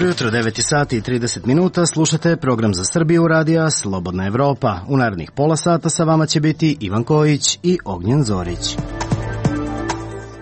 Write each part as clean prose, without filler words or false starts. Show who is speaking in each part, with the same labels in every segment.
Speaker 1: Jutro, 9 sati i 30 minuta, slušate program za Srbiju radija Slobodna Evropa. U narednih pola sata sa vama će biti Ivan Kojić i Ognjen Zorić.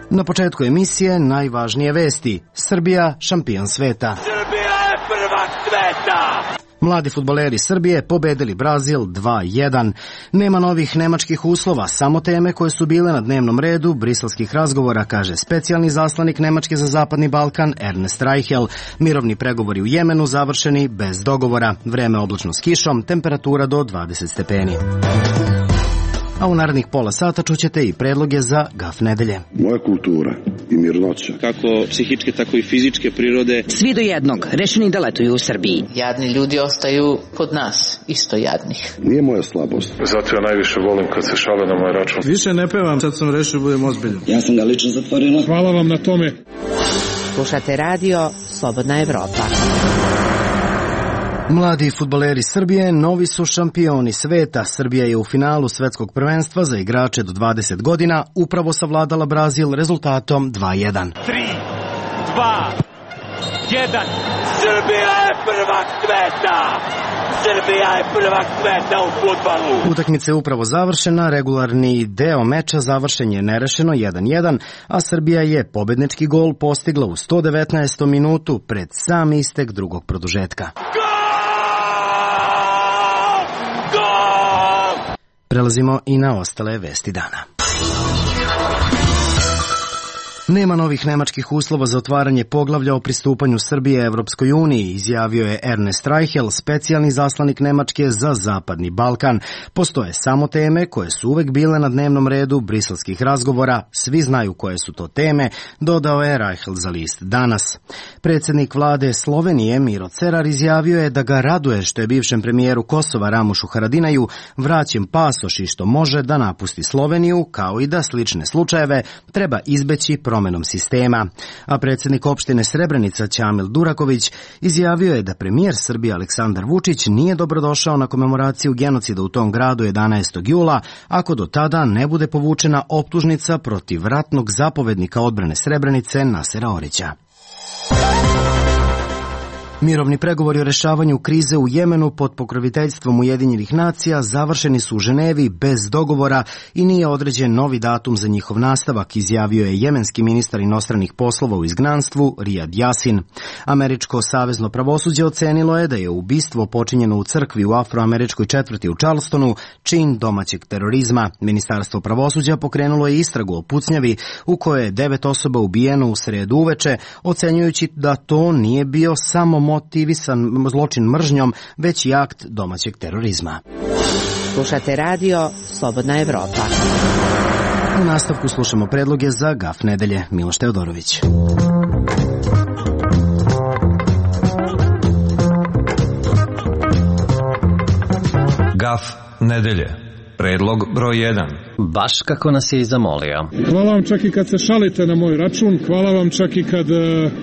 Speaker 1: Na početku emisije najvažnije vesti. Srbija šampion sveta.
Speaker 2: Srbija je prvak sveta!
Speaker 1: Mladi fudbaleri Srbije pobedili Brazil 2:1. Nema novih nemačkih uslova, samo teme koje su bile na dnevnom redu briselskih razgovora, kaže specijalni zaslanik Nemačke za Zapadni Balkan Ernest Reichel. Mirovni pregovori u Jemenu završeni bez dogovora. Vreme oblačno s kišom, temperatura do 20 stepeni. A u narednih pola sata čućete i predloge za GAF nedelje.
Speaker 3: Moja kultura i mirnoća,
Speaker 4: kako psihičke, tako i fizičke prirode.
Speaker 5: Svi do jednog, rešeni da letuju u Srbiji.
Speaker 6: Jadni ljudi ostaju kod nas, isto jadnih.
Speaker 3: nije moja slabost.
Speaker 7: Zato ja najviše volim kad se šale na moj račun.
Speaker 8: Više ne pevam, sad sam rešio budem ozbiljan.
Speaker 9: Ja sam ga lično zatvorila.
Speaker 10: Hvala vam na tome.
Speaker 5: Slušate radio Slobodna Evropa.
Speaker 1: Mladi fudbaleri Srbije novi su šampioni sveta. Srbija je u finalu svetskog prvenstva za igrače do 20 godina upravo savladala Brazil rezultatom 2:1.
Speaker 2: 3, 2, 1. Srbija je prvak sveta! Srbija je prvak sveta u fudbalu!
Speaker 1: Utakmica je upravo završena, regularni deo meča završen je nerešeno 1:1, a Srbija je pobednički gol postigla u 119. minutu pred sam istek drugog produžetka. Prelazimo i na ostale vesti dana. Nema novih nemačkih uslova za otvaranje poglavlja o pristupanju Srbije Evropskoj uniji, izjavio je Ernest Reichel, specijalni zaslanik Nemačke za Zapadni Balkan. Postoje samo teme koje su uvek bile na dnevnom redu briselskih razgovora. Svi znaju koje su to teme, dodao je Reichel za list Danas. Predsjednik vlade Slovenije Miro Cerar izjavio je da ga raduje što je bivšem premijeru Kosova Ramušu Haradinaju vraćen pasoš i što može da napusti Sloveniju, kao i da slične slučajeve treba izbeći promenom sistema. A predsjednik opštine Srebrenica Ćamil Duraković izjavio je da premijer Srbije Aleksandar Vučić nije dobrodošao na komemoraciju genocida u tom gradu 11. jula ako do tada ne bude povučena optužnica protiv ratnog zapovednika odbrane Srebrenice Nasera Orića. Mirovni pregovori o rešavanju krize u Jemenu pod pokroviteljstvom Ujedinjenih nacija završeni su u Ženevi bez dogovora i nije određen novi datum za njihov nastavak, izjavio je jemenski ministar inostranih poslova u izgnanstvu Rijad Jasin. Američko savezno pravosuđe ocenilo je da je ubistvo počinjeno u crkvi u afroameričkoj četvrti u Charlestonu čin domaćeg terorizma. Ministarstvo pravosuđa pokrenulo je istragu o pucnjavi u kojoj je 9 osoba ubijeno u sredu uveče, ocenjujući da to nije bio samo motivisan zločin mržnjom, već i akt domaćeg terorizma.
Speaker 5: Slušate radio Slobodna Evropa.
Speaker 1: U nastavku slušamo predloge za GAF nedelje. Miloš Teodorović.
Speaker 11: GAF nedelje. Predlog broj 1.
Speaker 12: Baš kako nas je i zamolio.
Speaker 10: Hvala vam čak i kad se šalite na moj račun, hvala vam čak i kad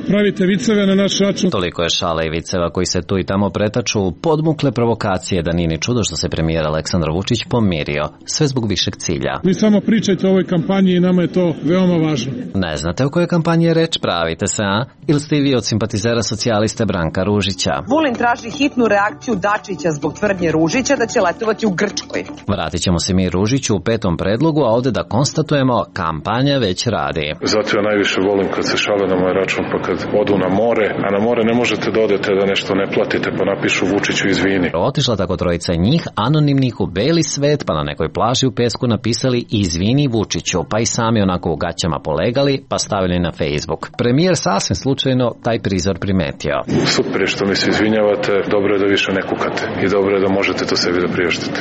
Speaker 10: pravite viceve na naš račun.
Speaker 12: Toliko je šale i viceva koji se tu i tamo pretaču, podmukle provokacije da nije ni čudo što se premijer Aleksandar Vučić pomirio, sve zbog višeg cilja.
Speaker 10: Vi samo pričajte o ovoj kampanji i nama je to veoma važno.
Speaker 12: Ne znate o kojoj kampanji je reč, pravite se, a? Ili ste i vi od simpatizera socijaliste Branka Ružića?
Speaker 13: Vulin traži hitnu reakciju Dačića zbog tvrdnje Ružića da će letovati u Grčkoj.
Speaker 12: Vratit ćemo se mi Ružiću u 5. predlogu, a ovde da konstatujemo kampanja već radi.
Speaker 7: Zato ja najviše volim kad se šale na moj račun, pa kad odu na more, a na more ne možete da odete da nešto ne platite, pa napišu Vučiću izvini.
Speaker 12: Otišla tako trojica njih, anonimnih u beli svet, pa na nekoj plaži u pesku napisali izvini Vučiću, pa i sami onako u gaćama polegali, pa stavili na Facebook. Premijer sasvim slučajno taj prizor primetio.
Speaker 7: Super je što mi se izvinjavate, dobro je da više ne kukate i dobro je da možete to sebi da priještite.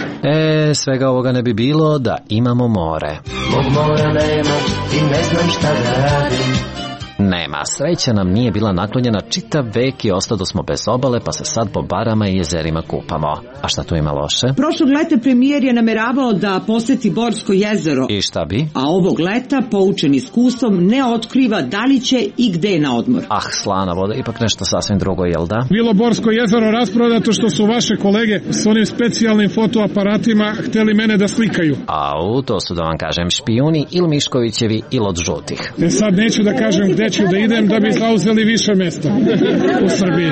Speaker 12: Svega ovoga ne bi bilo da imamo more.
Speaker 14: Mog mora nema i ne znam šta da radim.
Speaker 12: Nema, sreća nam nije bila naklonjena čitav vek i ostado smo bez obale, pa se sad po barama i jezerima kupamo. A šta tu ima loše?
Speaker 9: Prošlog leta premijer je nameravao da poseti Borsko jezero.
Speaker 12: I šta bi?
Speaker 9: A ovog leta, poučen iskustvom, ne otkriva da li će i gde na odmor.
Speaker 12: Ah, slana voda, ipak nešto sasvim drugo, jel da?
Speaker 10: Bilo Borsko jezero rasprodato što su vaše kolege s onim specijalnim fotoaparatima hteli mene da slikaju.
Speaker 12: Au, to su, da vam kažem, špijuni ili Miškovićevi ili od žutih.
Speaker 10: Sad neću da kažem gde ću da idem da bi zauzeli više mesta u Srbiji.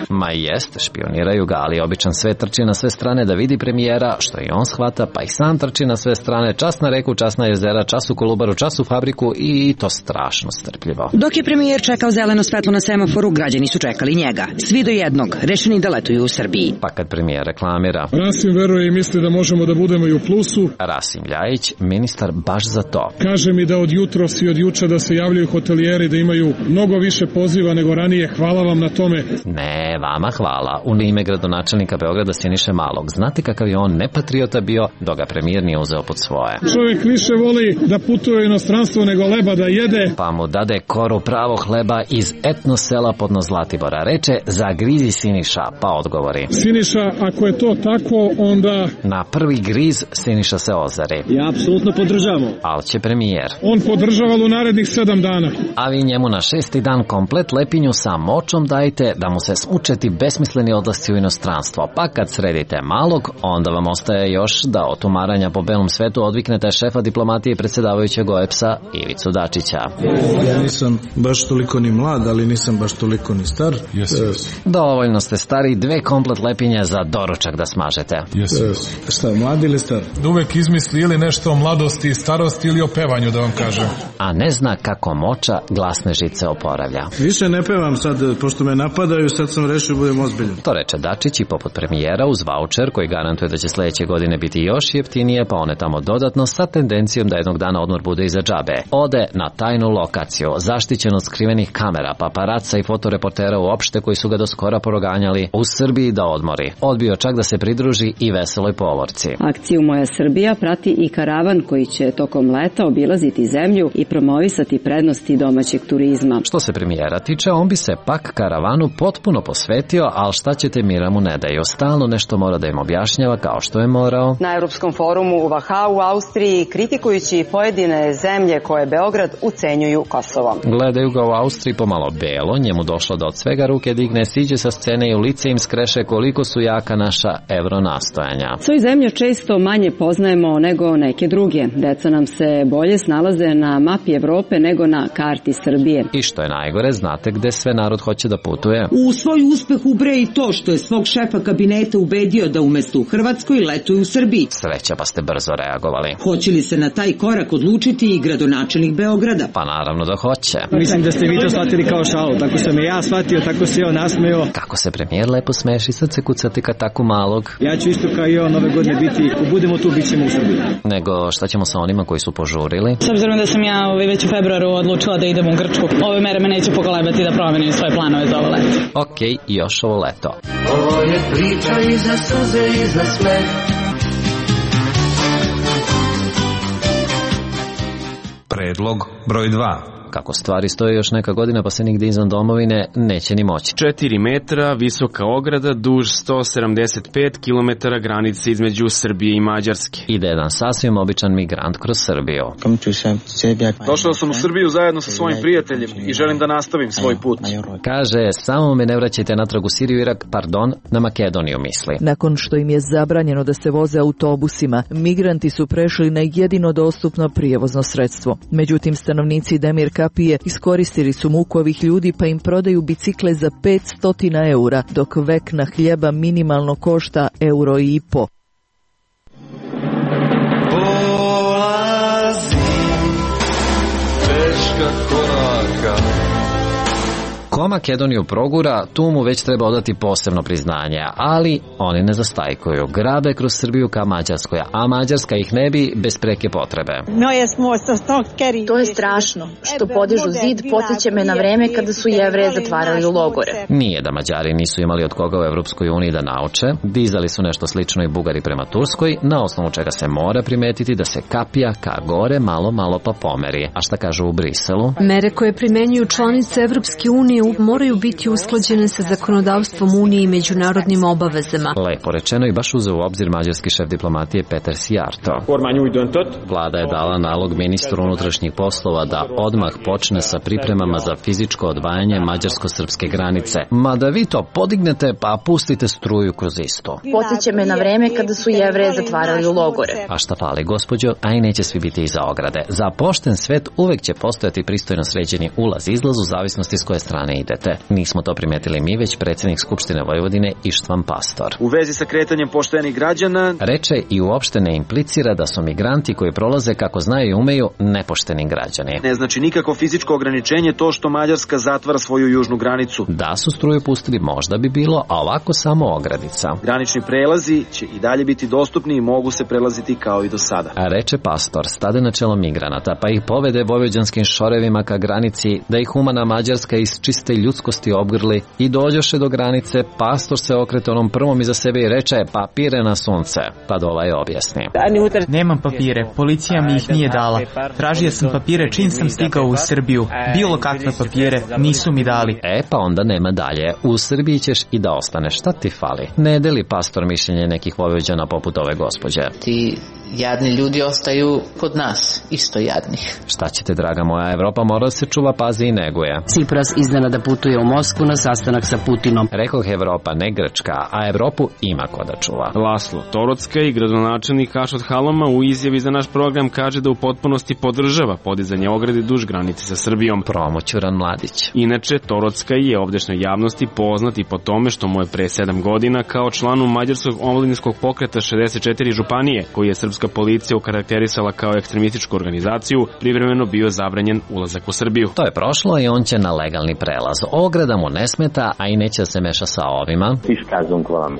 Speaker 12: Ma jest, špioniraju ga, ali običan svet trči na sve strane da vidi premijera, što i on shvata, pa i sam trči na sve strane, čas na reku, čas na jezera, čas u Kolubaru, čas u fabriku i to strašno strpljivo.
Speaker 5: Dok je premijer čekao zeleno svetlo na semaforu, građani su čekali njega. Svi do jednog, rešeni da letuju u Srbiji.
Speaker 12: Pa kad premijer reklamira.
Speaker 10: Rasim veruje i misli da možemo da budemo i u plusu.
Speaker 12: Rasim Ljajić, ministar baš za to.
Speaker 10: Kaže mi da od jutros i od juče da se javljaju hotelijeri, da imaju mnogo više poziva nego ranije. Hvala vam na tome.
Speaker 12: Ne, vama hvala. U ime gradonačelnika Beograda Siniše Malog. Znate kakav je on nepatriota bio, dok ga premijer nije uzeo pod svoje.
Speaker 10: Čovjek više voli da putuje u inostranstvo nego leba da jede.
Speaker 12: Pa mu dade koru pravog hleba iz etno sela podno Zlatibora. Reče, zagrizi Siniša, pa odgovori.
Speaker 10: Siniša, ako je to tako, onda...
Speaker 12: Na prvi griz Siniša se ozari.
Speaker 8: Ja apsolutno podržavam.
Speaker 12: Al će premijer.
Speaker 10: On podržava u narednih 7 dana.
Speaker 12: A vi njemu na 6. dan komplet lepinju sa močom dajte da mu se smučeti besmisleni odlasci u inostranstvo. Pa kad sredite Malog, onda vam ostaje još da od umaranja po belom svetu odviknete šefa diplomatije i predsjedavajućeg OEBS-a Ivicu Dačića.
Speaker 8: Ja nisam baš toliko ni mlad, ali nisam baš toliko ni star.
Speaker 12: Dovoljno ste stari, 2 komplet lepinje za doručak da smažete.
Speaker 8: Šta, mlad ili star?
Speaker 14: Uvek izmisli ili nešto o mladosti i starosti ili o pevanju, da vam kažem.
Speaker 12: A ne zna kako moča glasne žice oporavlja.
Speaker 8: Više ne pevam sad, pošto me napadaju, sad sam rešio budem ozbiljan.
Speaker 12: To reče Dačić i poput premijera uz vaučer koji garantuje da će sledeće godine biti još jeftinije, pa one tamo dodatno sa tendencijom da jednog dana odmor bude iza džabe. Ode na tajnu lokaciju, zaštićen od skrivenih kamera, paparaca i fotoreportera uopšte koji su ga do skora proganjali u Srbiji da odmori. Odbio čak da se pridruži i veseloj povorci.
Speaker 15: Akciju Moja Srbija prati i karavan koji će tokom leta obilaziti zemlju i promovisati prednosti domaćeg turizma.
Speaker 12: Što se premijera tiče, on bi se pak karavanu potpuno posvetio, ali šta ćete, mira mu ne daju. Stalno nešto mora da im objašnjava kao što je morao.
Speaker 13: Na Evropskom forumu u Vahau u Austriji, kritikujući pojedine zemlje koje Beograd ucenjuju Kosovo.
Speaker 12: Gledaju ga u Austriji pomalo belo, njemu došlo da od svega ruke digne, siđe sa scene i u lice im skreše koliko su jaka naša evronastojanja.
Speaker 15: Svoju zemlju često manje poznajemo nego neke druge. Deca nam se bolje snalaze na mapi Evrope nego na karti Srbije.
Speaker 12: I što je najgore, znate gde sve narod hoće da putuje?
Speaker 9: U svoj uspeh ubraja i to što je svog šefa kabineta ubedio da umesto u Hrvatskoj letuje u Srbiji.
Speaker 12: Sreća, pa ste brzo reagovali.
Speaker 9: Hoće li se na taj korak odlučiti i gradonačelnik Beograda?
Speaker 12: Pa naravno da hoće.
Speaker 8: Mislim da ste vi to shvatili kao šalu, tako sam i ja shvatio, tako se on nasmeo.
Speaker 12: Kako se premijer lepo smeši, sad se kucati kad tako malog.
Speaker 8: Ja ću isto kao i on ove godine biti, ako budemo tu, bit ćemo u Srbiji.
Speaker 12: Nego šta ćemo sa onima koji su požurili?
Speaker 16: S obzirom da sam ja već u februaru odlučila da idem u Grčku, ove mere me neće pokolebati da promenim svoje planove za ovo leto.
Speaker 12: Okej, još ovo leto.
Speaker 17: Ovo je priča i za suze i za smeh.
Speaker 11: Predlog broj 2.
Speaker 12: Kako stvari stoje još neka godina pa se nigde izvan domovine neće ni moći.
Speaker 18: 4 metra, visoka ograda, duž 175 km granice između Srbije i Mađarske.
Speaker 12: Ide jedan sasvim običan migrant kroz Srbiju.
Speaker 19: Došao sam u Srbiju zajedno sa svojim prijateljem i želim da nastavim svoj put.
Speaker 12: Kaže, samo me ne vraćajte natrag u Siriju, Irak, pardon, na Makedoniju misli.
Speaker 20: Nakon što im je zabranjeno da se voze autobusima, migranti su prešli na jedino dostupno prijevozno sredstvo. Međutim, stanovnici Demir Kapije iskoristili su muku ovih ljudi pa im prodaju bicikle za 500 eura, dok vekna hljeba minimalno košta €1,5.
Speaker 17: Polazim teška koraka.
Speaker 12: Ko Makedoniju progura, tu mu već treba odati posebno priznanje, ali oni ne zastajkuju. Grabe kroz Srbiju ka Mađarskoj, a Mađarska ih ne bi bez preke potrebe.
Speaker 21: To je strašno. Što podižu zid, podsjeća me na vreme kada su Jevreje zatvarali u logore.
Speaker 12: Nije da Mađari nisu imali od koga u Evropskoj uniji da nauče, dizali su nešto slično i Bugari prema Turskoj, na osnovu čega se mora primetiti da se kapija ka gore malo pa pomeri. A šta kažu u Briselu?
Speaker 22: Mere koje primenjuju članice Evropske unije moraju biti usklađene sa zakonodavstvom Unije i međunarodnim obavezama.
Speaker 12: Lepo rečeno i baš uzeo u obzir mađarski šef diplomatije Peter Sijarto. Vlada je dala nalog ministru unutrašnjih poslova da odmah počne sa pripremama za fizičko odvajanje mađarsko-srpske granice. Mada vi to podignete pa pustite struju kroz isto.
Speaker 21: Podsjeća me na vreme kada su Jevreje zatvarali u logore.
Speaker 12: A šta fali, gospođo, a i neće svi biti iza ograde. Za pošten svet uvek će postojati pristojno sređeni ulaz-izlaz u zavisnosti s koje strane idete. Nismo to primetili mi, već predsjednik Skupštine Vojvodine Ištvan Pastor.
Speaker 19: U vezi sa kretanjem poštenih građana
Speaker 12: reče i uopšte ne implicira da su migranti koji prolaze kako znaju i umeju nepošteni građani.
Speaker 19: Ne znači nikako fizičko ograničenje to što Mađarska zatvara svoju južnu granicu.
Speaker 12: Da su struju pustili možda bi bilo, a ovako samo ogradica.
Speaker 19: Granični prelazi će i dalje biti dostupni i mogu se prelaziti kao i do sada.
Speaker 12: A reče Pastor, stade na čelo migranata pa ih povede vojvođanskim šorevima ka granici, da ih humana Mađarska iz čiste ljudskosti obgrli i dođoše do granice. Pastor se okrete onom prvom iza sebe i reče papire na sunce. Pa ovaj objasni.
Speaker 23: Nemam papire, policija mi ih nije dala. Tražio sam papire čim sam stigao u Srbiju. Bilo kakve papire nisu mi dali.
Speaker 12: Pa onda nema dalje. U Srbiji ćeš i da ostaneš. Šta ti fali? Ne deli Pastor mišljenje nekih vojvođana poput ove gospođe.
Speaker 6: Ti jadni ljudi ostaju kod nas, isto jadnih.
Speaker 12: Šta ćete, draga moja, Evropa mora se čuva, pazi i neguje.
Speaker 24: Cipras iznenada putuje u Moskvu na sastanak sa Putinom.
Speaker 12: Rekoh Evropa, ne Grčka, a Evropu ima ko da čuva.
Speaker 18: Laslo Torocka i gradonačelnik Ašot Halama u izjavi za naš program kaže da u potpunosti podržava podizanje ograde duž granice sa Srbijom.
Speaker 12: Promoćuran mladić.
Speaker 18: Inače, Torocka je ovdašnjoj javnosti poznati po tome što mu je pre 7 godina kao članu mađarskog omladinskog pokreta 64 županije, koji je srpska policija okarakterisala kao ekstremističku organizaciju, privremeno bio zabranjen ulazak u Srbiju.
Speaker 12: To je prošlo i on će na legalni prelaz. Ograda mu ne smeta, a i neće da se meša sa ovima.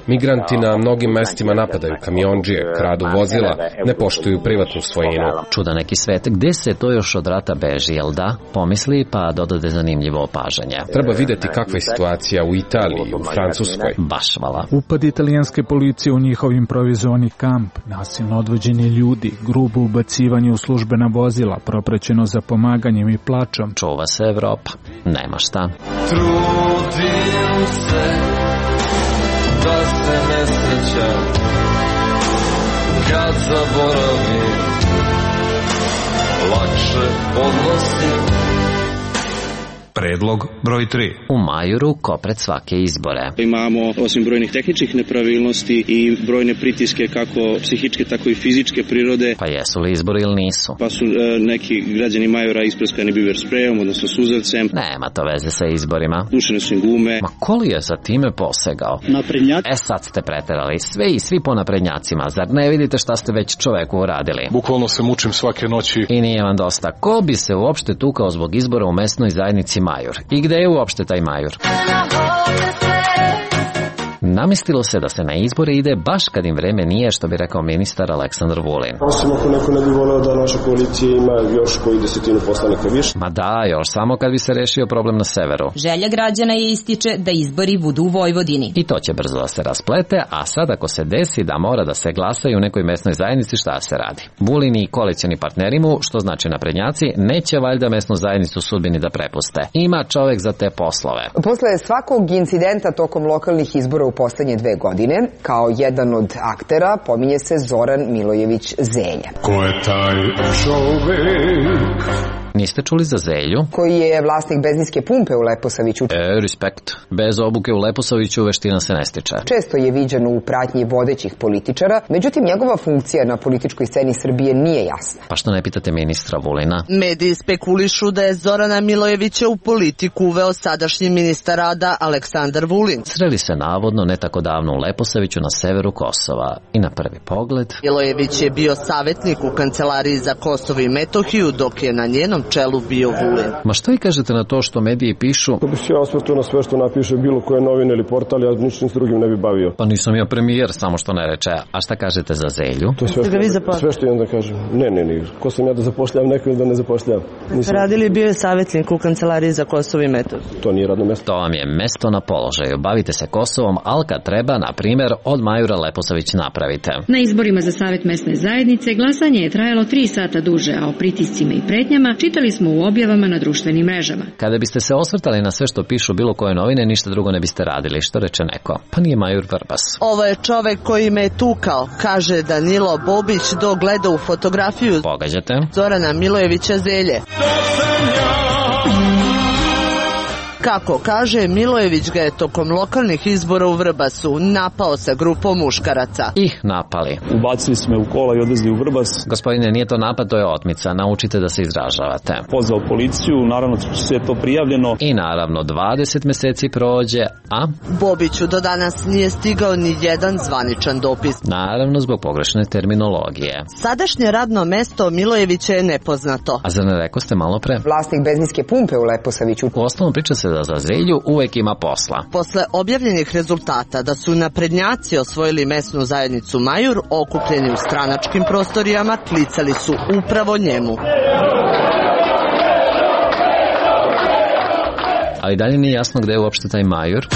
Speaker 25: Migranti na mnogim mestima napadaju kamionđije, kradu vozila, ne poštuju privatnu svojinu.
Speaker 12: Čuda neki svet, gde se to još od rata beži, jel da? Pomisli pa dodade zanimljivo opažanje.
Speaker 25: Treba videti kakva je situacija u Italiji, u Francuskoj.
Speaker 12: Baš vala.
Speaker 26: Upad italijanske policije u njihov improvizovani kamp, nasilno odvođenje ljudi, grubo ubacivanje u službena vozila, propraćeno za pomaganjem i plačom.
Speaker 12: Čuva se Evropa. Nema šta.
Speaker 27: Trudim se da se ne srećam kad zaboravim, lakše podnosim.
Speaker 11: Predlog broj 3.
Speaker 12: U Majuru ko pred svake izbore.
Speaker 4: Imamo osim brojnih tehničkih nepravilnosti i brojne pritiske kako psihičke tako i fizičke prirode.
Speaker 12: Pa jesu li izbori ili nisu?
Speaker 4: Pa su neki građani Majura isprskani biber sprejom, odnosno suzavcem.
Speaker 12: Nema to veze sa izborima.
Speaker 4: Pušene su im gume.
Speaker 12: Ma ko li je za time posegao?
Speaker 27: Naprednjaci.
Speaker 12: Sad ste preterali. Sve i svi po naprednjacima. Zar ne vidite šta ste već čoveku uradili?
Speaker 7: Bukvalno se mučim svake noći.
Speaker 12: I nije vam dosta. Ko bi se uopšte tukao zbog izbora u mesnoj zajednici Majur? I gde je uopšte taj Majur? Namistilo se da se na izbore ide baš kad im vreme nije, što bi rekao ministar Aleksandar Vulin.
Speaker 3: Osim ako neko ne bi voleo da naša koalicija ima još koji 10 poslanika više.
Speaker 12: Ma da, još samo kad bi se rešio problem na severu.
Speaker 28: Želja građana je ističe da izbori budu u Vojvodini.
Speaker 12: I to će brzo da se rasplete, a sad ako se desi da mora da se glasa u nekoj mesnoj zajednici, šta se radi? Vulin i koalicioni partneri mu, što znači naprednjaci, neće valjda mesnu zajednicu sudbini da prepuste. Ima čovek za te poslove.
Speaker 29: Posle svakog incidenta tokom lokalnih izbora u poslednje 2 godine, kao jedan od aktera pominje se Zoran Milojević Zelja.
Speaker 27: Ko je taj čovek?
Speaker 12: Niste čuli za Zelju?
Speaker 29: Koji je vlasnik benzinske pumpe u Leposaviću.
Speaker 12: Respekt. Bez obuke u Leposaviću veština se ne stiče.
Speaker 29: Često je viđen u pratnji vodećih političara, međutim njegova funkcija na političkoj sceni Srbije nije jasna.
Speaker 12: Pa što ne pitate ministra Vulina?
Speaker 30: Mediji spekulišu da je Zorana Milojevića u politiku uveo sadašnji ministar rada Aleksandar Vulin.
Speaker 12: Sreli se navodno ne tako davno u Leposaviću na severu Kosova i na prvi pogled...
Speaker 30: Milojević je bio savjetnik u kancelariji za Kosovo i Metohiju, dok je na njenom čelu bio Vulin.
Speaker 12: Ma što i kažete na to što mediji pišu?
Speaker 3: Ako bi se ja osvrtuo na sve što napiše bilo koje novine ili portal, ja ničim s drugim ne bi bavio.
Speaker 12: Pa nisam ja premijer, samo što ne reče. A šta kažete za Zelju?
Speaker 3: To je sve što imam da kažem. Ne. Ko sam ja da zapošljam neko ili da ne zapošljam?
Speaker 30: Radili bio je savjetnik u kancelariji za Kosovo i Metohiju.
Speaker 3: To nije radno mesto.
Speaker 12: To vam je mesto na položaju. Bavite se Kosovom, ali kad treba, na primjer, od Majura Leposavić napravite.
Speaker 1: Na izborima za Savet mesne zajednice glasanje je trajalo 3 sata duže, a o pritiscima i pretnjama čitali smo u objavama na društvenim mrežama.
Speaker 12: Kada biste se osvrtali na sve što pišu bilo koje novine, ništa drugo ne biste radili, što reče neko. Pa nije Majur Vrbas.
Speaker 30: Ovo je čovek koji me je tukao, kaže Danilo Bobić dok gleda u fotografiju.
Speaker 12: Pogađate?
Speaker 30: Zorana Milojevića Zelje. Kako kaže, Milojević ga je tokom lokalnih izbora u Vrbasu napao sa grupom muškaraca.
Speaker 12: Ih napali.
Speaker 2: Ubacili smo u kola i odvezli u Vrbas.
Speaker 12: Gospodine, nije to napad, to je otmica. Naučite da se izražavate.
Speaker 2: Pozvao policiju, naravno sve je to prijavljeno.
Speaker 12: I naravno 20 meseci prođe, a?
Speaker 30: Bobiću do danas nije stigao ni jedan zvaničan dopis.
Speaker 12: Naravno zbog pogrešne terminologije.
Speaker 30: Sadašnje radno mesto Milojevića je nepoznato.
Speaker 12: A zar ne rekao ste malo pre?
Speaker 29: Vlasnik benzinske pumpe u Leposaviću.
Speaker 12: U osnovu priča se da za Zelju uvek ima posla.
Speaker 30: Posle objavljenih rezultata da su naprednjaci osvojili mesnu zajednicu Majur, okupljeni u stranačkim prostorijama, klicali su upravo njemu.
Speaker 12: Ali dalje nije jasno gde je uopšte taj Majur.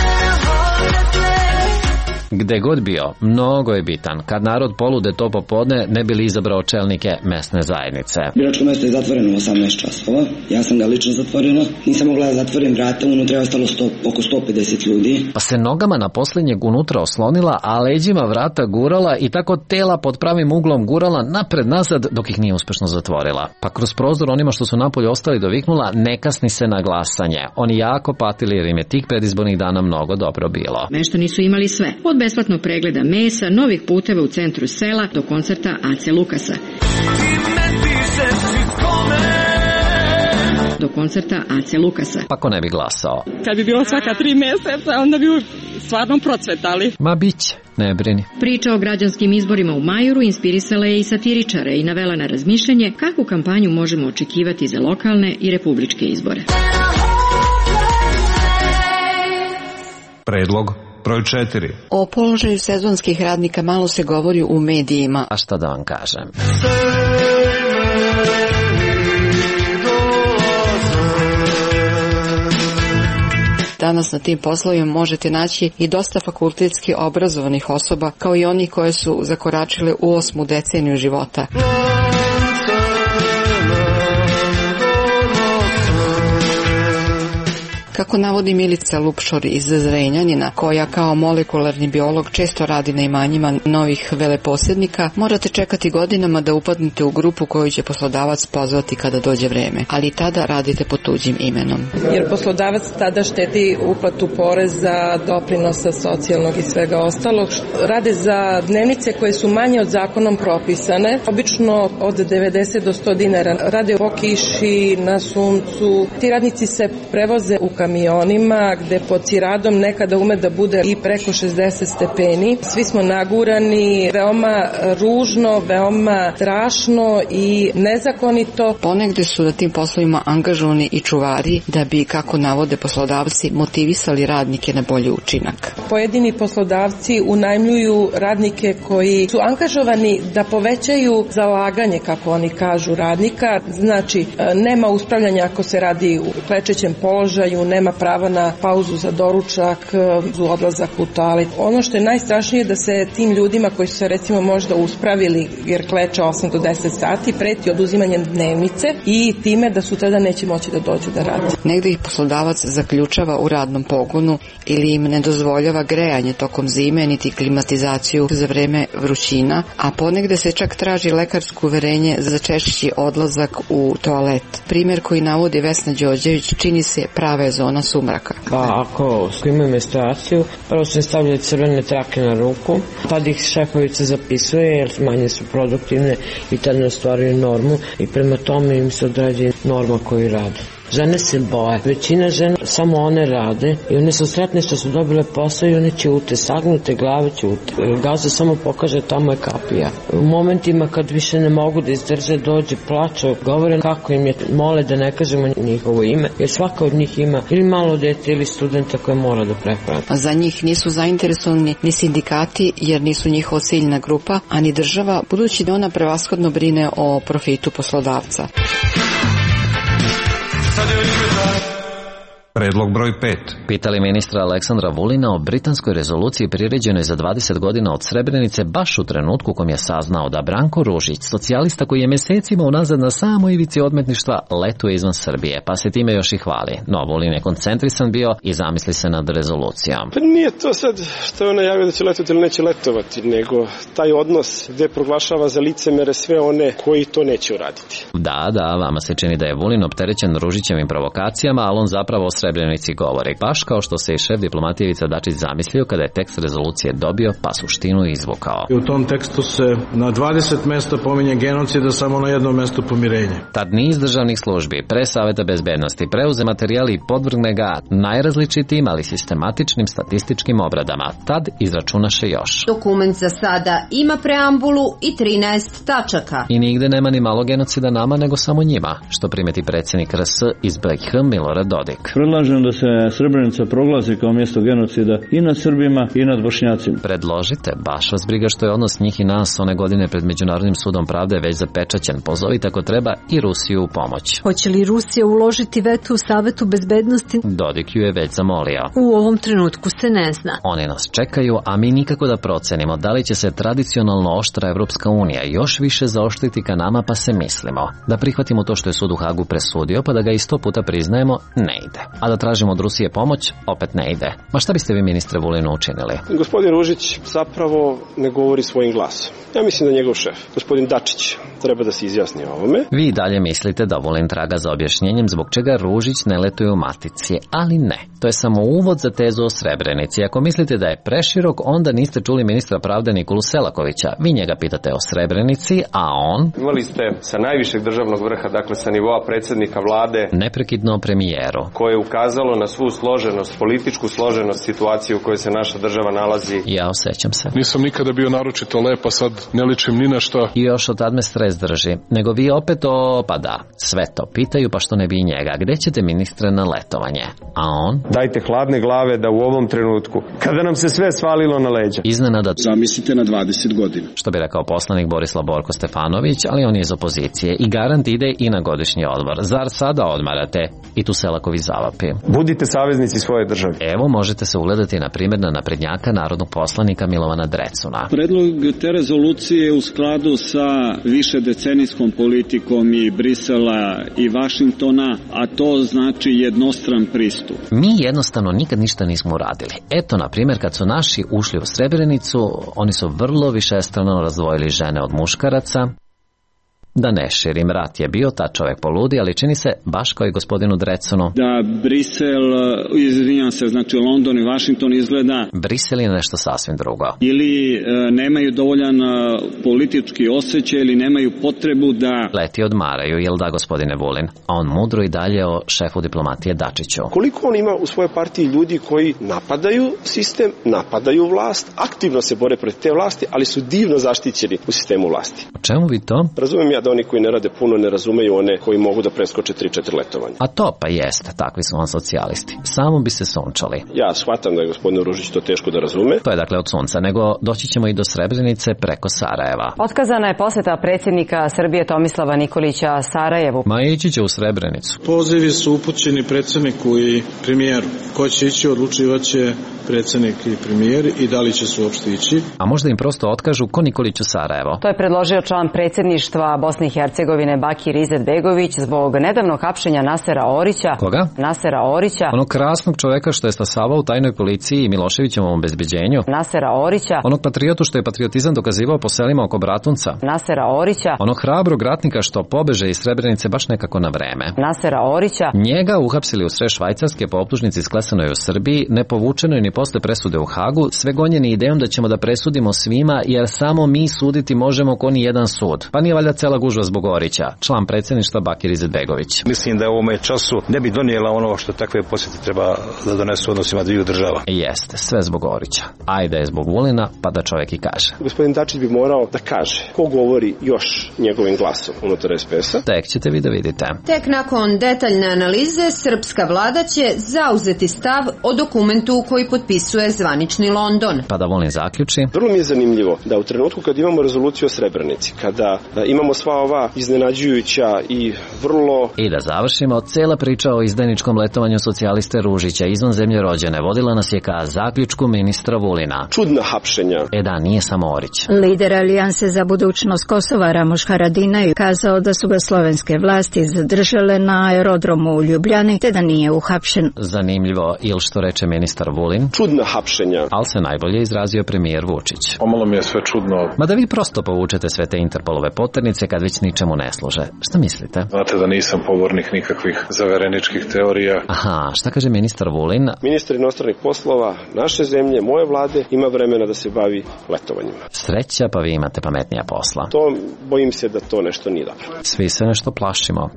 Speaker 12: Gde god bio, mnogo je bitan. Kad narod polude to popodne, ne bi li izabrao čelnike mesne zajednice.
Speaker 5: Biračko mesto je zatvoreno u 18 časova. Ja sam ga lično zatvorila. Nisam mogla da zatvorim vrata, unutra je ostalo oko 150 ljudi.
Speaker 12: Pa se nogama na posljednjeg unutra oslonila, a leđima vrata gurala i tako tela pod pravim uglom gurala napred-nazad dok ih nije uspešno zatvorila. Pa kroz prozor onima što su napolje ostali doviknula, ne kasni se na glasanje. Oni jako patili jer im je tih predizbornih dana mnogo dobro bilo.
Speaker 1: Meštani su imali sve. Od besplatnog pregleda mesa, novih puteva u centru sela do koncerta Ace Lukasa. Do koncerta Ace Lukasa.
Speaker 12: Pa ko ne bi glasao?
Speaker 8: Kad bi bilo svaka 3 meseca, onda bi stvarno procvetali.
Speaker 12: Ma biće, ne brini.
Speaker 1: Priča o građanskim izborima u Majuru inspirisala je i satiričare i navela na razmišljanje kakvu kampanju možemo očekivati za lokalne i republičke izbore.
Speaker 11: Predlog broj 4.
Speaker 9: O položaju sezonskih radnika malo se govori u medijima.
Speaker 12: A šta da vam kažem?
Speaker 9: Danas na tim poslovima možete naći i dosta fakultetski obrazovanih osoba, kao i onih koje su zakoračile u 8. deceniju života. Kako navodi Milica Lupšor iz Zrenjanina, koja kao molekularni biolog često radi na imanjima novih veleposjednika, morate čekati godinama da upadnete u grupu koju će poslodavac pozvati kada dođe vreme, ali tada radite pod tuđim imenom.
Speaker 10: Jer poslodavac tada štedi uplatu poreza, doprinosa, socijalnog i svega ostalog. Rade za dnevnice koje su manje od zakonom propisane, obično od 90 do 100 dinara. Rade po kiši, na suncu. Ti radnici se prevoze u kamionima gde pod ciradom nekada ume da bude i preko 60 stepeni. Svi smo nagurani, veoma ružno, veoma strašno i nezakonito.
Speaker 9: Ponegde su na tim poslovima angažovani i čuvari da bi, kako navode poslodavci, motivisali radnike na bolji učinak.
Speaker 10: Pojedini poslodavci unajmljuju radnike koji su angažovani da povećaju zalaganje, kako oni kažu, radnika. Znači, nema uspravljanja ako se radi u klečećem položaju, nema prava na pauzu za doručak, odlazak u toalet. Ono što je najstrašnije je da se tim ljudima koji su se recimo možda uspravili jer kleče 8 do 10 sati preti oduzimanjem dnevnice i time da sutradan neće moći da dođu da rade.
Speaker 9: Negde ih poslodavac zaključava u radnom pogonu ili im ne dozvoljava grejanje tokom zime niti klimatizaciju za vreme vrućina, a ponegde se čak traži lekarsko uverenje za češći odlazak u toalet. Primer koji navodi Vesna Đorđević čini se prava zona sumraka.
Speaker 13: Pa ako imaju menstruaciju, prvo se stavljaju crvene trake na ruku, tad ih šefovica zapisuje jer manje su produktivne i tad ne ostvaruju normu i prema tome im se određuje norma koju rade. Žene se boje. Većina žena samo one rade i one su sretne što su dobile posao i one ćute, sagnute glave ćute. Gaza samo pokaže tamo je kapija. U momentima kad više ne mogu da izdrže, dođe, plaču, govore kako im je, mole da ne kažemo njihovo ime, jer svaka od njih ima ili malo dete ili studenta koje mora da prehrani.
Speaker 9: Za njih nisu zainteresovani ni sindikati jer nisu njihova ciljna grupa, a ni država, budući da ona prevashodno brine o profitu poslodavca.
Speaker 11: Predlog broj 5.
Speaker 12: Pitali ministra Aleksandra Vulina o britanskoj rezoluciji priređenoj za 20 godina od Srebrenice baš u trenutku kom je saznao da Branko Ružić, socijalista koji je mesecima unazad na samoj ivici odmetništva, letuje izvan Srbije, pa se time još i hvali. No, Vulin je koncentrisan bio i zamisli se nad rezolucijom.
Speaker 3: Pa nije to sad što je on najavio da će letovati ili neće letovati, nego taj odnos gde proglašava za licemere sve one koji to neće uraditi.
Speaker 12: Da, vama se čini da je Vulin opterećen Ružićevim provokacijama, ali on zapravo o Srebrenici govori, baš kao što se i šef diplomatije Ivica Dačić zamislio kada je tekst rezolucije dobio, pa suštinu izvukao.
Speaker 6: I u tom tekstu se na 20 mesta pominje genocid, a samo na jednom mestu pomirenje.
Speaker 12: Tad niz državnih službi, pre Saveta bezbednosti, preuze materijali i podvrgne ga najrazličitijim, ali sistematičnim statističkim obradama. Tad izračunaše još.
Speaker 28: Dokument za sada ima preambulu i 13 tačaka.
Speaker 12: I nigde nema ni malo genocida nama, nego samo njima, što primeti predsjednik RS iz BiH Milorad Dodik.
Speaker 14: Predlažem da se Srebrenica proglasi kao mjesto genocida i nad Srbima i nad Bošnjacima.
Speaker 12: Predložite, baš vas briga što je odnos njih i nas one godine pred Međunarodnim sudom pravde već zapečaćen. Pozovite ako treba i Rusiju u pomoć.
Speaker 15: Hoće li Rusija uložiti veto u Savetu bezbednosti?
Speaker 12: Dodik ju je već zamolio.
Speaker 15: U ovom trenutku se ne zna.
Speaker 12: Oni nas čekaju, a mi nikako da procenimo da li će se tradicionalno oštra Evropska unija još više zaoštriti ka nama, pa se mislimo da prihvatimo to što je sud u Hagu presudio, pa da ga i 100 puta priznajemo, ne ide. A da tražimo od Rusije pomoć, opet ne ide. Ma šta biste vi, ministre Vulinu, učinili?
Speaker 3: Gospodin Ružić zapravo ne govori svojim glasom. Ja mislim da njegov šef, gospodin Dačić, treba da se izjasni o ovome.
Speaker 12: Vi i dalje mislite da Vulin traga za objašnjenjem zbog čega Ružić ne letuje u matici, ali ne. To je samo uvod za tezu o Srebrenici. Ako mislite da je preširok, onda niste čuli ministra pravde Nikolu Selakovića. Vi njega pitate o Srebrenici, a on...
Speaker 16: Imali ste sa najvišeg državnog vrha, dakle sa nivoa predsjednika vlade,
Speaker 12: neprekidno o premijeru,
Speaker 16: koje je ukazalo na svu složenost, političku složenost situacije u kojoj se naša država nalazi.
Speaker 12: Ja osjećam se.
Speaker 7: Nisam nikada bio naročito lep, a sad ne ličim ni na šta.
Speaker 12: I još od tad me stres drži. Nego vi opet pa da, sve to pitaju, pa što ne bi i njega. Gde ćete, ministre, na letovanje? A on?
Speaker 16: Dajte hladne glave da u ovom trenutku, kada nam se sve svalilo na leđa,
Speaker 12: iznenada
Speaker 17: zamislite na 20 godina.
Speaker 12: Što bi rekao poslanik Borislav Borko Stefanović, ali on je iz opozicije i garant ide i na godišnji odmor. Zar sada odmarate? I tu Selaković zavapi.
Speaker 16: Budite saveznici svoje države.
Speaker 12: Evo, možete se ugledati na primjer na naprednjaka narodnog poslanika Milovana Drecuna.
Speaker 17: Predlog te rezolucije je u skladu sa višedecenijskom politikom i Brisela i Vašingtona, a to znači jednostran pristup.
Speaker 12: Mi jednostavno nikad ništa nismo uradili. Eto, na primjer, kad su naši ušli u Srebrenicu, oni su vrlo višestrano razdvojili žene od muškaraca. Da ne širim, rat je bio, ta čovjek poludi, ali čini se, baš kao i gospodinu Drecunu,
Speaker 17: da Brisel, izvinjam se, znači London i Washington izgleda...
Speaker 12: Brisel je nešto sasvim drugo.
Speaker 17: Ili nemaju dovoljan politički osjećaj ili nemaju potrebu da...
Speaker 12: Leti odmaraju, jel da, gospodine Vulin? A on mudro i dalje o šefu diplomatije Dačiću.
Speaker 3: Koliko on ima u svojoj partiji ljudi koji napadaju sistem, napadaju vlast, aktivno se bore protiv te vlasti, ali su divno zaštićeni u sistemu vlasti.
Speaker 12: O čemu vi to?
Speaker 3: Razumijem ja da oni koji ne rade puno ne razumeju one koji mogu da preskoče 3-4 letovanja.
Speaker 12: A to pa jeste, takvi su vam socijalisti. Samo bi se sunčali.
Speaker 3: Ja shvatam da je gospodin Ružić to teško da razume.
Speaker 12: To je dakle od sunca, nego doći ćemo i do Srebrenice preko Sarajeva.
Speaker 19: Otkazana je posjeta predsjednika Srbije Tomislava Nikolića Sarajevu.
Speaker 12: Ma ići će u Srebrenicu.
Speaker 6: Pozivi su upućeni predsjedniku i premijeru. Ko će ići, odlučivaće predsjednik i premijer i da li će se uopšte ići.
Speaker 12: A možda im prosto otkažu ko Nikoliću Sarajevo.
Speaker 19: To je predložio član predsjedništva Bosne i Hercegovine Bakir Izetbegović zbog nedavnog hapšenja Nasera Orića.
Speaker 12: Koga?
Speaker 19: Nasera Orića.
Speaker 12: Onog krasnog čovjeka što je stasavao u tajnoj policiji i Miloševićevom obezbeđenju.
Speaker 19: Nasera Orića.
Speaker 12: Onog patriotu što je patriotizam dokazivao po selima oko Bratunca.
Speaker 19: Nasera Orića.
Speaker 12: Onog hrabrog ratnika što pobeže iz Srebrenice baš nekako na vreme.
Speaker 19: Nasera Orića.
Speaker 12: Njega uhapsili u sred Švajcarske po optužnici sklesanoj u Srbiji, ne povučenoj ni posle presude u Hagu, sve gonjeni idejom da ćemo da presudimo svima, jer samo mi suditi možemo ko ni jedan sud. Pa nije valjda cela gužva zbog Orića, član predsjedništva Bakir Izetbegović.
Speaker 4: Mislim da u ovome času ne bi donijela ono što takve posjete treba da donesu odnosima dviju država.
Speaker 12: Jeste, sve zbog Orića. Ajde je zbog Vulina, pa da čovjek i kaže.
Speaker 3: Gospodin Dačić bi morao da kaže ko govori još njegovim glasom unutar SPS-a.
Speaker 12: Tek ćete vi da vidite.
Speaker 28: Tek nakon detaljne analize, srpska vlada će zauzeti stav o dokumentu koji potpisuje zvanični London.
Speaker 12: Pa da Vulin zaključi.
Speaker 3: Vrlo mi je zanimljivo da u trenutku kad imamo rezoluciju o Srebrenici, kada imamo sva ova iznenađujuća i vrlo...
Speaker 12: I da završimo, cela priča o izdajničkom letovanju socijaliste Ružića izvan zemlje rođene vodila nas je ka zaključku ministra Vulina.
Speaker 3: Čudna hapšenja.
Speaker 12: Da, nije samo Orić.
Speaker 15: Lider Alijanse za budućnost Kosova Ramoš Haradinaj je kazao da su ga slovenske vlasti zadržale na aerodromu u Ljubljani te da nije uhapšen.
Speaker 12: Zanimljivo, ili što reče ministar Vulin.
Speaker 3: Čudna hapšenja.
Speaker 12: Ali se najbolje izrazio premijer Vučić.
Speaker 7: Pomalo mi je sve čudno.
Speaker 12: Ma da vi prosto povučete sve te Interpolove poternice kad već ničemu ne služe. Šta mislite?
Speaker 7: Znate da nisam pobornik nikakvih zavereničkih teorija.
Speaker 12: Aha, šta kaže ministar Vulin?
Speaker 3: Ministar inostranih poslova naše zemlje, moje vlade, ima vremena da se bavi letovanjima.
Speaker 12: Sreća, pa vi imate pametnija posla.
Speaker 3: To, bojim se da to nešto nije dobro.
Speaker 12: Svi se nešto plašimo.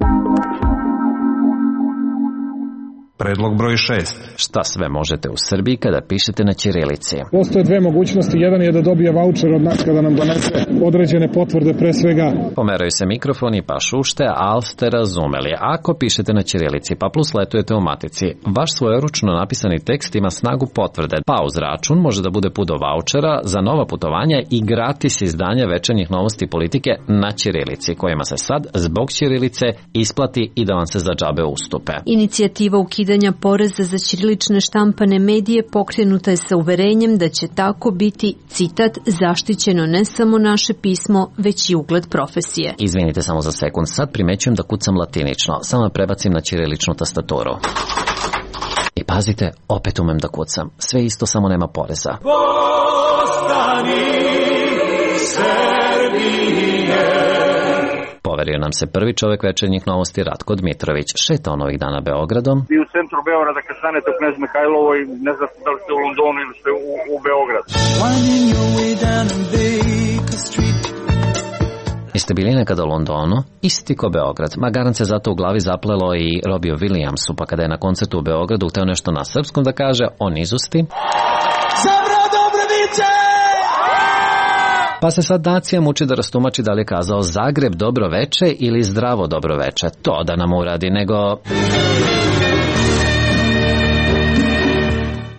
Speaker 11: Predlog broj 6.
Speaker 12: Šta sve možete u Srbiji kada pišete na ćirilici?
Speaker 6: Postoje dve mogućnosti. Jedan je da dobije vaučer od nas kada nam donese određene potvrde, pre svega.
Speaker 12: Pomeraju se mikrofoni pa šušte, ali ste razumeli. Ako pišete na ćirilici pa plus letujete u matici, vaš svojeručno napisani tekst ima snagu potvrde. Pa uz račun može da bude put do vaučera za nova putovanja i gratis izdanja večernjih novosti politike na ćirilici, kojima se sad zbog ćirilice isplati i da vam se za džabe ustupe.
Speaker 15: Inicijativa ukidanja poreza za ćirilične štampane medije pokrenuta je sa uverenjem da će tako biti, citat, zaštićeno ne samo naše pismo, već i ugled profesije.
Speaker 12: Izvinite samo za sekund, sad primećujem da kucam latinično, samo prebacim na ćiriličnu tastaturu. I pazite, opet umem da kucam. Sve isto, samo nema poreza. Poverio nam se prvi čovjek večernjih novosti Ratko Dmitrović. Šeta on ovih dana Beogradom.
Speaker 18: Vi u centru Beograda kad stanete u Knez Mihajlovoj, ne znate da li ste u Londonu ili ste u Beogradu.
Speaker 12: Jeste bili nekada u Londonu? Isti ko Beograd. Ma garant se zato u glavi zaplelo i Robiju Williamsu, pa kada je na koncertu u Beogradu hteo nešto na srpskom da kaže, on izusti.
Speaker 20: Zabra Dobroviće!
Speaker 12: Pa se sad nacija muči da rastumači da li je kazao Zagreb dobro veče ili zdravo dobro veče. To da nam uradi, nego...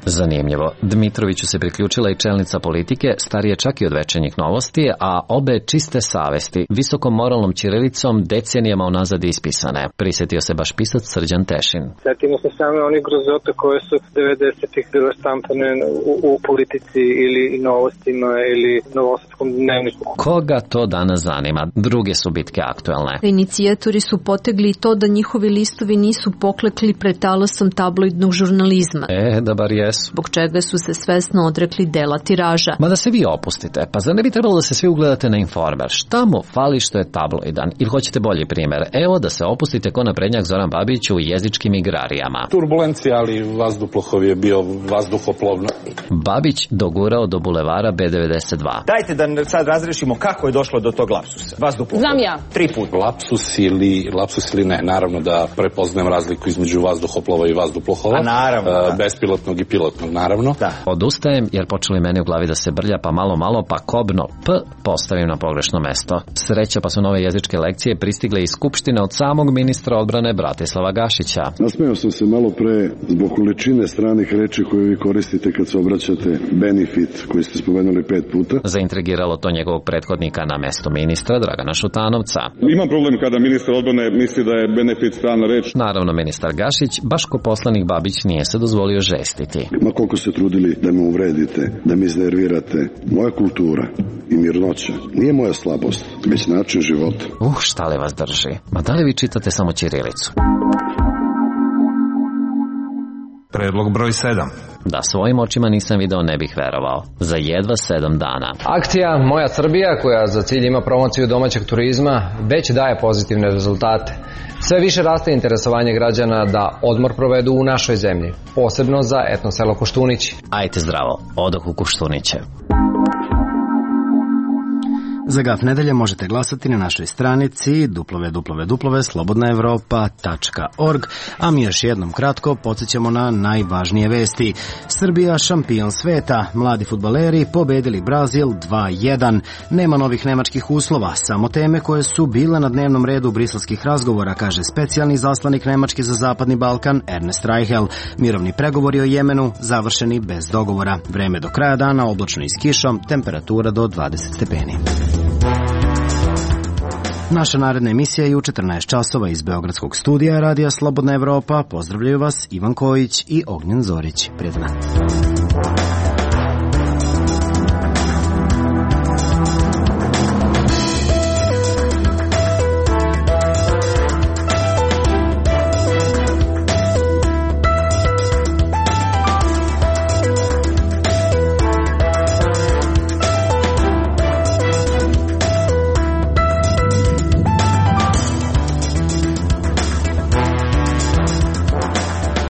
Speaker 12: Zanimljivo. Dmitroviću se priključila i čelnica politike, starije čak i od večernjih novosti, a obe čiste savesti, visokom moralnom ćirilicom decenijama unazad ispisane. Prisjetio se baš pisac Srđan Tešin.
Speaker 21: Sjetimo se same onih grozota koje su 90-ih bile štampane u politici ili novostima ili novosadskom dnevniku.
Speaker 12: Koga to danas zanima? Druge su bitke aktuelne.
Speaker 15: Inicijatori su potegli to da njihovi listovi nisu poklekli pred talasom tabloidnog žurnalizma.
Speaker 12: Da bar je.
Speaker 15: Zbog čega su se svesno odrekli dela tiraža.
Speaker 12: Ma da se vi opustite, pa zar ne bi trebalo da se svi ugledate na Informer? Šta mu fali što je tabloidan? Ili hoćete bolji primjer? Evo da se opustite ko naprednjak Zoran Babić u jezičkim igrarijama.
Speaker 4: Turbulencija, ali vazduhoplov je bio vazduhoplovno.
Speaker 12: Babić dogurao do bulevara B92.
Speaker 22: Dajte da sad razrešimo kako je došlo do tog lapsusa. Vazduhoplov.
Speaker 28: Znam ja.
Speaker 22: 3 puta.
Speaker 4: Lapsus ili ne. Naravno da prepoznajem razliku između vazduhoplova i vazduplova.
Speaker 22: A naravno.
Speaker 4: Bespilotnog i pilotnog, naravno.
Speaker 12: Da. Odustajem jer počeli meni u glavi da se brlja, pa malo, pa kobno P postavim na pogrešno mesto. Sreća pa su nove jezičke lekcije pristigle iz Skupštine od samog ministra odbrane Bratislava Gašića.
Speaker 23: Nasmejao sam se malo pre zbog količine stranih reči koje vi koristite kad se obraćate benefit, koji ste spomenuli 5 puta.
Speaker 12: Zaintrigiralo to njegovog prethodnika na mesto ministra Dragana Šutanovca.
Speaker 23: Imam problem kada ministar odbrane misli da je benefit strana reč.
Speaker 12: Naravno, ministar Gašić, baš ko poslanik Babić, nije se dozvolio žestiti.
Speaker 23: Ma koliko se trudili da me uvredite, da me iznervirate, moja kultura i mirnoća nije moja slabost, već način života.
Speaker 12: Šta li vas drži? Ma da li vi čitate samo ćirilicu?
Speaker 11: Predlog broj 7.
Speaker 12: Da svojim očima nisam video, ne bih verovao. Za jedva 7 dana.
Speaker 24: Akcija Moja Srbija, koja za cilj ima promociju domaćeg turizma, već daje pozitivne rezultate. Sve više raste interesovanje građana da odmor provedu u našoj zemlji, posebno za etno selo Koštunići.
Speaker 12: Ajte zdravo, odoh u Koštuniće.
Speaker 1: Za GAF nedelje možete glasati na našoj stranici www.slobodnaevropa.org, a mi još jednom kratko podsjećamo na najvažnije vesti. Srbija šampion sveta, mladi fudbaleri pobedili Brazil 2:1. Nema novih nemačkih uslova, samo teme koje su bile na dnevnom redu briselskih razgovora, kaže specijalni zaslanik Nemačke za Zapadni Balkan Ernest Reichel. Mirovni pregovori o Jemenu završeni bez dogovora. Vreme do kraja dana oblačno i s kišom, temperatura do 20 stepeni. Naša naredna emisija je u 14 časova iz Beogradskog studija Radija Slobodna Evropa. Pozdravljaju vas Ivan Kojić i Ognjen Zorić. Prijatno.